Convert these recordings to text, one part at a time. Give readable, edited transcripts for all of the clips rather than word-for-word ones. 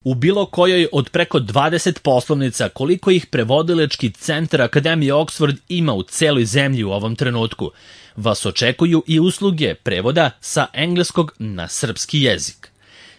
U bilo kojoj od preko 20 poslovnica koliko ih prevodilački centar Akademije Oxford ima u celoj zemlji u ovom trenutku, vas očekuju i usluge prevoda sa engleskog na srpski jezik.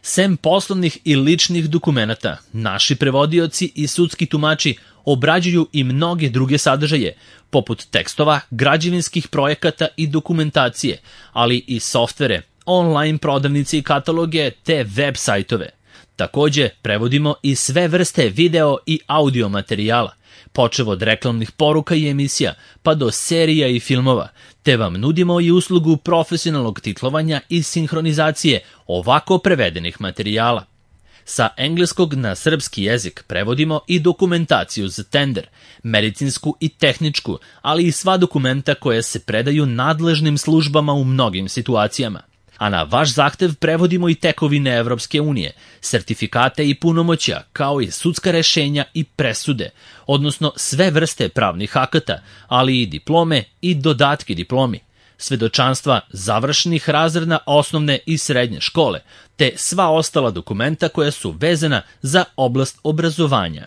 Sem poslovnih i ličnih dokumenata, naši prevodioci i sudski tumači obrađuju i mnoge druge sadržaje, poput tekstova, građevinskih projekata i dokumentacije, ali i softvere, online prodavnice i kataloge te web sajtove. Takođe, prevodimo i sve vrste video i audio materijala, počev od reklamnih poruka i emisija, pa do serija i filmova, te vam nudimo i uslugu profesionalnog titlovanja i sinhronizacije ovako prevedenih materijala. Sa engleskog na srpski jezik prevodimo i dokumentaciju za tender, medicinsku i tehničku, ali i sva dokumenta koja se predaju nadležnim službama u mnogim situacijama. A na vaš zahtev prevodimo i tekovine Evropske unije, sertifikate i punomoćja, kao i sudska rešenja i presude, odnosno sve vrste pravnih akata, ali i diplome i dodatke diplomi, svedočanstva završenih razreda osnovne i srednje škole, te sva ostala dokumenta koja su vezana za oblast obrazovanja.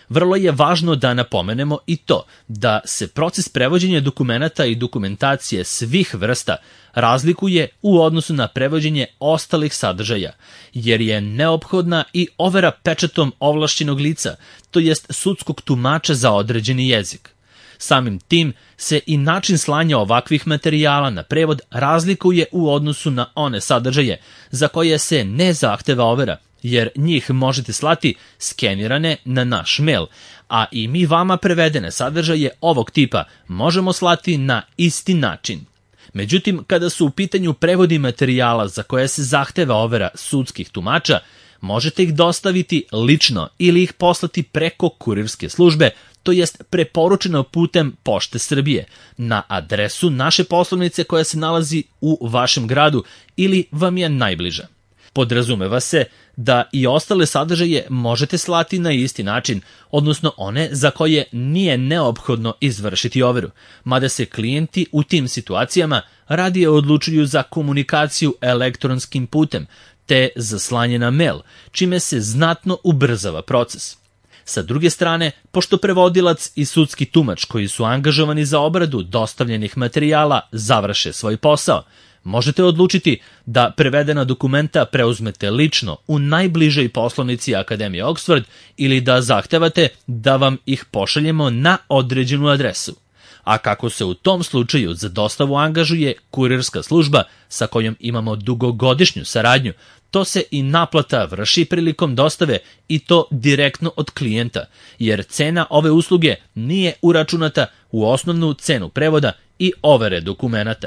Vrlo je važno da napomenemo i to da se proces prevođenja dokumenata i dokumentacije svih vrsta razlikuje u odnosu na prevođenje ostalih sadržaja, jer je neophodna i overa pečatom ovlašćenog lica, to jest sudskog tumača za određeni jezik. Samim tim se i način slanja ovakvih materijala na prevod razlikuje u odnosu na one sadržaje za koje se ne zahteva overa, jer njih možete slati skenirane na naš mail, a i mi vama prevedene sadržaje ovog tipa možemo slati na isti način. Međutim, kada su u pitanju prevodi materijala za koje se zahteva overa sudskih tumača, možete ih dostaviti lično ili ih poslati preko kurirske službe, to jest preporučeno putem Pošte Srbije, na adresu naše poslovnice koja se nalazi u vašem gradu ili vam je najbliža. Podrazumeva se da i ostale sadržaje možete slati na isti način, odnosno one za koje nije neophodno izvršiti overu, mada se klijenti u tim situacijama radije odlučuju za komunikaciju elektronskim putem, te za slanje na mail, čime se znatno ubrzava proces. Sa druge strane, pošto prevodilac i sudski tumač koji su angažovani za obradu dostavljenih materijala završe svoj posao, možete odlučiti da prevedena dokumenta preuzmete lično u najbližoj poslovnici Akademije Oxford ili da zahtevate da vam ih pošaljemo na određenu adresu. A kako se u tom slučaju za dostavu angažuje kurirska služba sa kojom imamo dugogodišnju saradnju, to se i naplata vrši prilikom dostave i to direktno od klijenta, jer cena ove usluge nije uračunata u osnovnu cenu prevoda i overe dokumenata.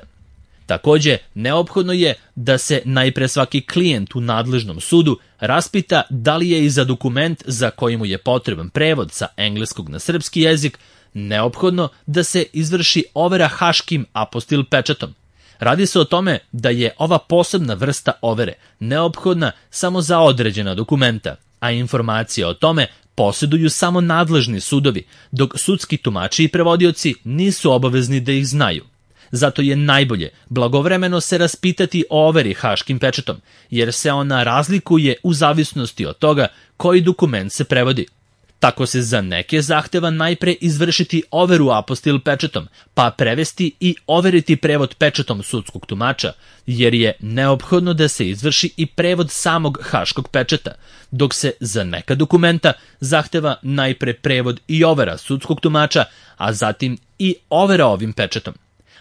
Takođe, neophodno je da se najpre svaki klijent u nadležnom sudu raspita da li je i za dokument za koji mu je potreban prevod sa engleskog na srpski jezik neophodno da se izvrši overa haškim apostil pečatom. Radi se o tome da je ova posebna vrsta overe neophodna samo za određena dokumenta, a informacije o tome posjeduju samo nadležni sudovi, dok sudski tumači i prevodioci nisu obavezni da ih znaju. Zato je najbolje blagovremeno se raspitati o overi haškim pečatom, jer se ona razlikuje u zavisnosti od toga koji dokument se prevodi. Tako se za neke zahteva najpre izvršiti overu apostil pečatom, pa prevesti i overiti prevod pečatom sudskog tumača, jer je neophodno da se izvrši i prevod samog haškog pečata, dok se za neka dokumenta zahteva najpre prevod i overa sudskog tumača, a zatim i overa ovim pečatom.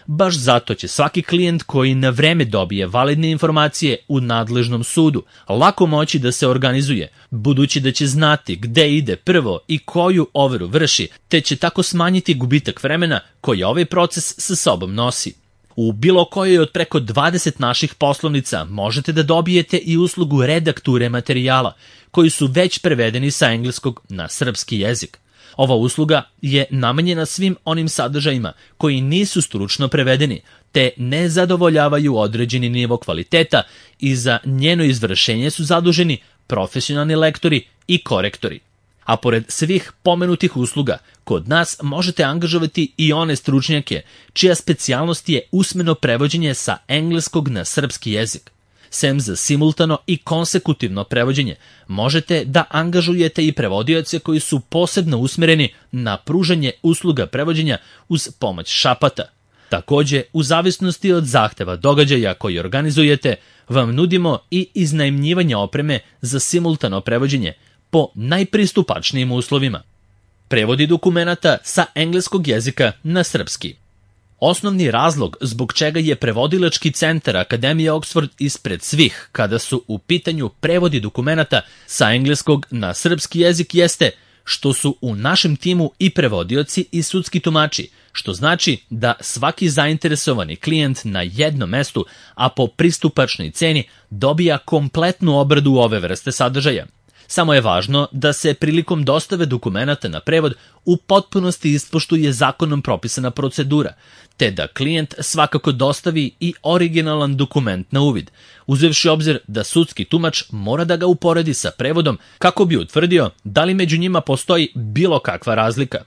Baš zato će svaki klijent koji na vreme dobije validne informacije u nadležnom sudu lako moći da se organizuje, budući da će znati gde ide prvo i koju overu vrši, te će tako smanjiti gubitak vremena koji ovaj proces sa sobom nosi. U bilo kojoj od preko 20 naših poslovnica možete da dobijete i uslugu redakture materijala, koji su već prevedeni sa engleskog na srpski jezik. Ova usluga je namenjena svim onim sadržajima koji nisu stručno prevedeni, te ne zadovoljavaju određeni nivo kvaliteta i za njeno izvršenje su zaduženi profesionalni lektori i korektori. A pored svih pomenutih usluga, kod nas možete angažovati i one stručnjake čija specijalnost je usmeno prevođenje sa engleskog na srpski jezik. Sem za simultano i konsekutivno prevođenje, možete da angažujete i prevodioce koji su posebno usmereni na pružanje usluga prevođenja uz pomoć šapata. Takođe, u zavisnosti od zahteva događaja koji organizujete, vam nudimo i iznajmljivanje opreme za simultano prevođenje po najpristupačnijim uslovima. Prevodi dokumenata sa engleskog jezika na srpski. Osnovni razlog zbog čega je prevodilački centar Akademije Oxford ispred svih kada su u pitanju prevodi dokumenata sa engleskog na srpski jezik jeste što su u našem timu i prevodioci i sudski tumači, što znači da svaki zainteresovani klijent na jednom mestu, a po pristupačnoj ceni, dobija kompletnu obradu ove vrste sadržaja. Samo je važno da se prilikom dostave dokumenata na prevod u potpunosti ispoštuje zakonom propisana procedura, te da klijent svakako dostavi i originalan dokument na uvid, uzevši obzir da sudski tumač mora da ga uporedi sa prevodom kako bi utvrdio da li među njima postoji bilo kakva razlika.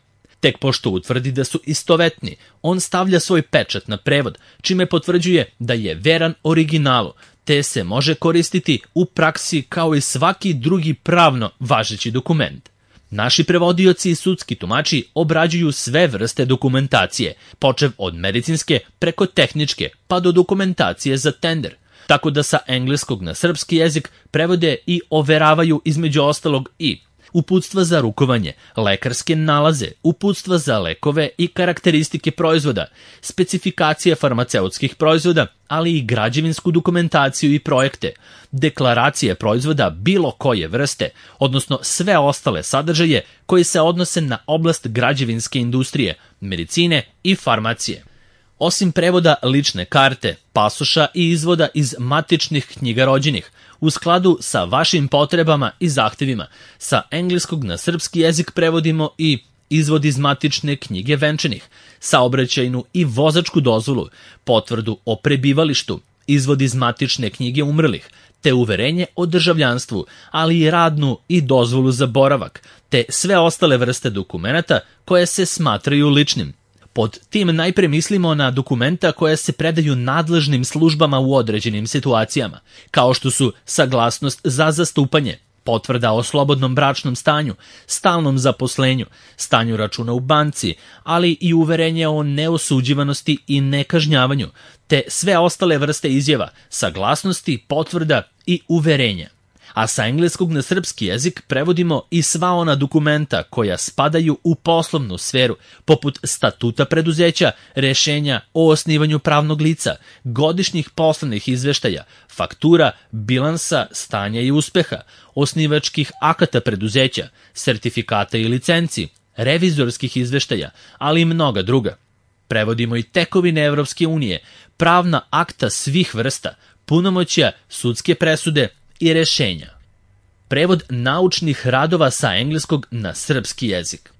Tek pošto utvrdi da su istovetni, on stavlja svoj pečat na prevod, čime potvrđuje da je veran originalu, te se može koristiti u praksi kao i svaki drugi pravno važeći dokument. Naši prevodioci i sudski tumači obrađuju sve vrste dokumentacije, počev od medicinske preko tehničke pa do dokumentacije za tender, tako da sa engleskog na srpski jezik prevode i overavaju između ostalog i uputstva za rukovanje, lekarske nalaze, uputstva za lekove i karakteristike proizvoda, specifikacije farmaceutskih proizvoda, ali i građevinsku dokumentaciju i projekte, deklaracije proizvoda bilo koje vrste, odnosno sve ostale sadržaje koji se odnose na oblast građevinske industrije, medicine i farmacije. Osim prevoda lične karte, pasoša i izvoda iz matičnih knjiga rođenih, u skladu sa vašim potrebama i zahtevima, sa engleskog na srpski jezik prevodimo i izvod iz matične knjige venčanih, saobraćajnu i vozačku dozvolu, potvrdu o prebivalištu, izvod iz matične knjige umrlih, te uverenje o državljanstvu, ali i radnu i dozvolu za boravak, te sve ostale vrste dokumenata koje se smatraju ličnim. Pod tim najpre mislimo na dokumenta koja se predaju nadležnim službama u određenim situacijama, kao što su saglasnost za zastupanje, potvrda o slobodnom bračnom stanju, stalnom zaposlenju, stanju računa u banci, ali i uverenje o neosuđivanosti i nekažnjavanju, te sve ostale vrste izjava, saglasnosti, potvrda i uverenja. A sa engleskog na srpski jezik prevodimo i sva ona dokumenta koja spadaju u poslovnu sferu, poput statuta preduzeća, rešenja o osnivanju pravnog lica, godišnjih poslovnih izveštaja, faktura, bilansa, stanja i uspeha, osnivačkih akata preduzeća, sertifikata i licenci, revizorskih izveštaja, ali i mnoga druga. Prevodimo i tekovine Evropske unije, pravna akta svih vrsta, punomoćja, sudske presude i rešenja. Prevod naučnih radova sa engleskog na srpski jezik.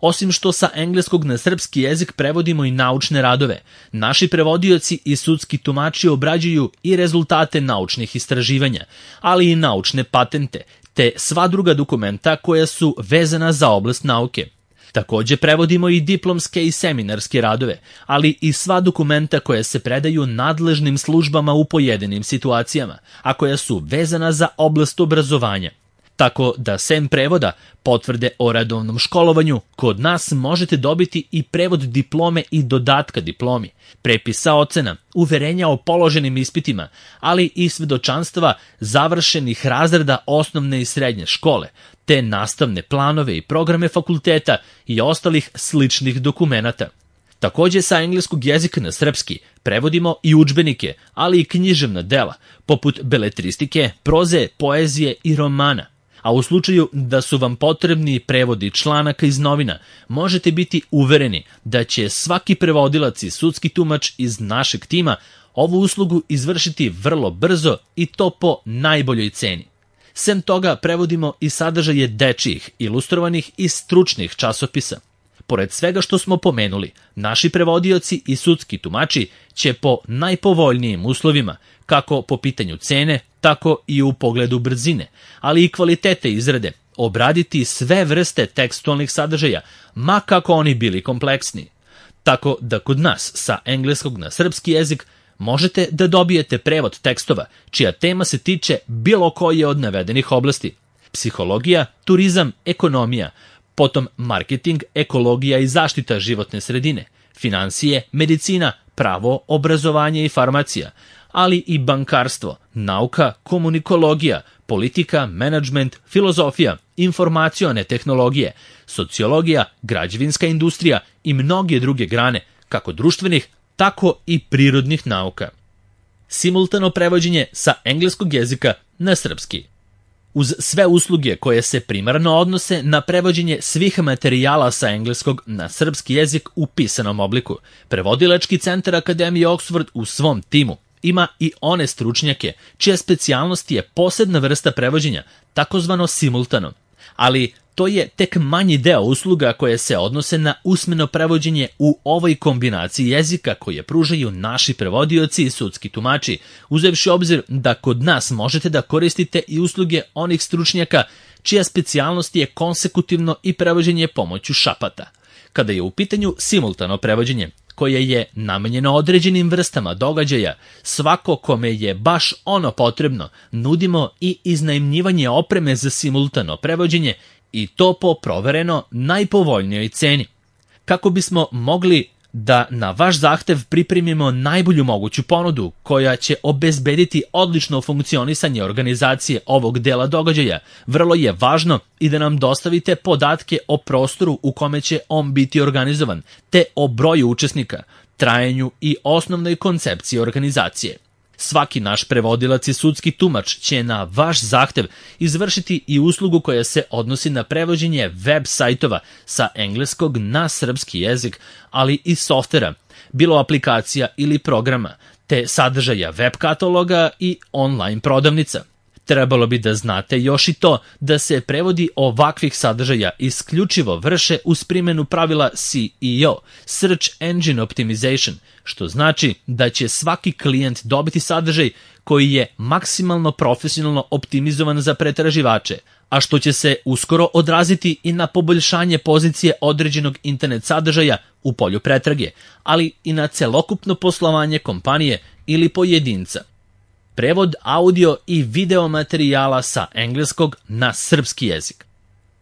Osim što sa engleskog na srpski jezik prevodimo i naučne radove, naši prevodioci i sudski tumači obrađuju i rezultate naučnih istraživanja, ali i naučne patente, te sva druga dokumenta koja su vezana za oblast nauke. Takođe prevodimo i diplomske i seminarske radove, ali i sva dokumenta koja se predaju nadležnim službama u pojedinim situacijama, a koja su vezana za oblast obrazovanja. Tako da sem prevoda, potvrde o redovnom školovanju, kod nas možete dobiti i prevod diplome i dodatka diplomi, prepisa ocena, uverenja o položenim ispitima, ali i svedočanstva završenih razreda osnovne i srednje škole, te nastavne planove i programe fakulteta i ostalih sličnih dokumenata. Takođe sa engleskog jezika na srpski prevodimo i udžbenike, ali i književna dela, poput beletristike, proze, poezije i romana. A u slučaju da su vam potrebni prevodi članaka iz novina, možete biti uvereni da će svaki prevodilac i sudski tumač iz našeg tima ovu uslugu izvršiti vrlo brzo i to po najboljoj ceni. Sem toga prevodimo i sadržaje dečijih, ilustrovanih i stručnih časopisa. Pored svega što smo pomenuli, naši prevodioci i sudski tumači će po najpovoljnijim uslovima, kako po pitanju cene, tako i u pogledu brzine, ali i kvalitete izrade, obraditi sve vrste tekstualnih sadržaja, ma kako oni bili kompleksni. Tako da kod nas sa engleskog na srpski jezik možete da dobijete prevod tekstova čija tema se tiče bilo koje od navedenih oblasti: psihologija, turizam, ekonomija, potom marketing, ekologija i zaštita životne sredine, finansije, medicina, pravo, obrazovanje i farmacija, ali i bankarstvo, nauka, komunikologija, politika, menadžment, filozofija, informacione tehnologije, sociologija, građevinska industrija i mnoge druge grane, kako društvenih, tako i prirodnih nauka. Simultano prevođenje sa engleskog jezika na srpski. Uz sve usluge koje se primarno odnose na prevođenje svih materijala sa engleskog na srpski jezik u pisanom obliku, prevodilački centar Akademije Oxford u svom timu ima i one stručnjake čija specijalnost je posebna vrsta prevođenja, takozvano simultano. Ali to je tek manji deo usluga koje se odnose na usmeno prevođenje u ovoj kombinaciji jezika koje pružaju naši prevodioci i sudski tumači, uzevši obzir da kod nas možete da koristite i usluge onih stručnjaka čija specijalnost je konsekutivno i prevođenje pomoću šapata. Kada je u pitanju simultano prevođenje, koje je namenjeno određenim vrstama događaja, svako kome je baš ono potrebno, nudimo i iznajmljivanje opreme za simultano prevođenje i to po provereno najpovoljnijoj ceni. Kako bismo mogli da na vaš zahtev pripremimo najbolju moguću ponudu koja će obezbediti odlično funkcionisanje organizacije ovog dela događaja, vrlo je važno i da nam dostavite podatke o prostoru u kome će on biti organizovan, te o broju učesnika, trajanju i osnovnoj koncepciji organizacije. Svaki naš prevodilac i sudski tumač će na vaš zahtev izvršiti i uslugu koja se odnosi na prevođenje web sajtova sa engleskog na srpski jezik, ali i softvera, bilo aplikacija ili programa, te sadržaja web kataloga i online prodavnica. Trebalo bi da znate još i to da se prevodi ovakvih sadržaja isključivo vrše uz primjenu pravila SEO, Search Engine Optimization, što znači da će svaki klijent dobiti sadržaj koji je maksimalno profesionalno optimizovan za pretraživače, a što će se uskoro odraziti i na poboljšanje pozicije određenog internet sadržaja u polju pretrage, ali i na celokupno poslovanje kompanije ili pojedinca. Prevod audio i video materijala sa engleskog na srpski jezik.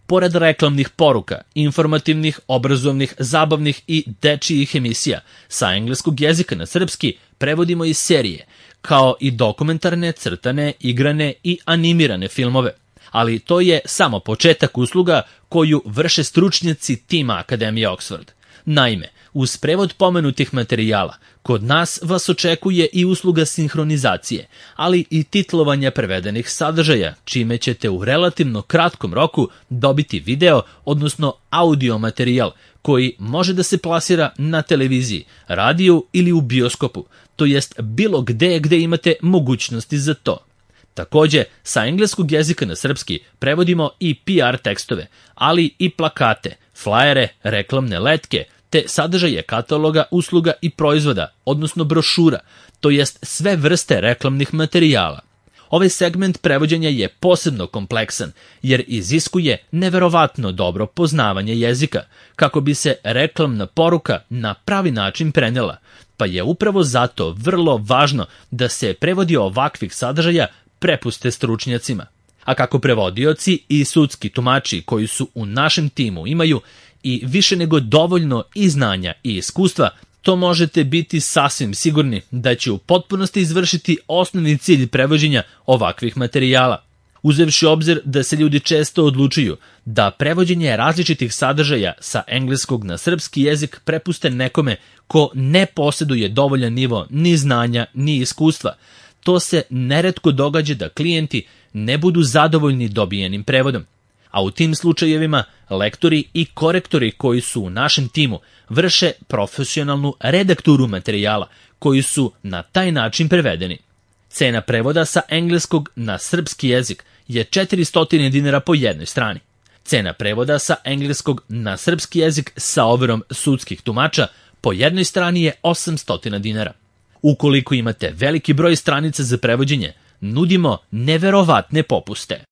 Pored reklamnih poruka, informativnih, obrazovnih, zabavnih i dečijih emisija, sa engleskog jezika na srpski prevodimo i serije, kao i dokumentarne, crtane, igrane i animirane filmove. Ali to je samo početak usluga koju vrše stručnjaci tima Akademije Oxford. Naime, uz prevod pomenutih materijala, kod nas vas očekuje i usluga sinhronizacije, ali i titlovanja prevedenih sadržaja, čime ćete u relativno kratkom roku dobiti video, odnosno audio materijal, koji može da se plasira na televiziji, radiju ili u bioskopu, to jest bilo gde imate mogućnosti za to. Takođe, sa engleskog jezika na srpski prevodimo i PR tekstove, ali i plakate, flajere, reklamne letke, te sadržaje kataloga, usluga i proizvoda, odnosno brošura, to jest sve vrste reklamnih materijala. Ovaj segment prevođenja je posebno kompleksan, jer iziskuje neverovatno dobro poznavanje jezika, kako bi se reklamna poruka na pravi način prenela, pa je upravo zato vrlo važno da se prevodi ovakvih sadržaja prepuste stručnjacima. A kako prevodioci i sudski tumači koji su u našem timu imaju i više nego dovoljno i znanja i iskustva, to možete biti sasvim sigurni da će u potpunosti izvršiti osnovni cilj prevođenja ovakvih materijala. Uzevši obzir da se ljudi često odlučuju da prevođenje različitih sadržaja sa engleskog na srpski jezik prepuste nekome ko ne posjeduje dovoljan nivo ni znanja ni iskustva, to se neretko događa da klijenti ne budu zadovoljni dobijenim prevodom. A u tim slučajevima lektori i korektori koji su u našem timu vrše profesionalnu redakturu materijala koji su na taj način prevedeni. Cena prevoda sa engleskog na srpski jezik je 400 dinara po jednoj strani. Cena prevoda sa engleskog na srpski jezik sa overom sudskih tumača po jednoj strani je 800 dinara. Ukoliko imate veliki broj stranica za prevođenje, nudimo neverovatne popuste.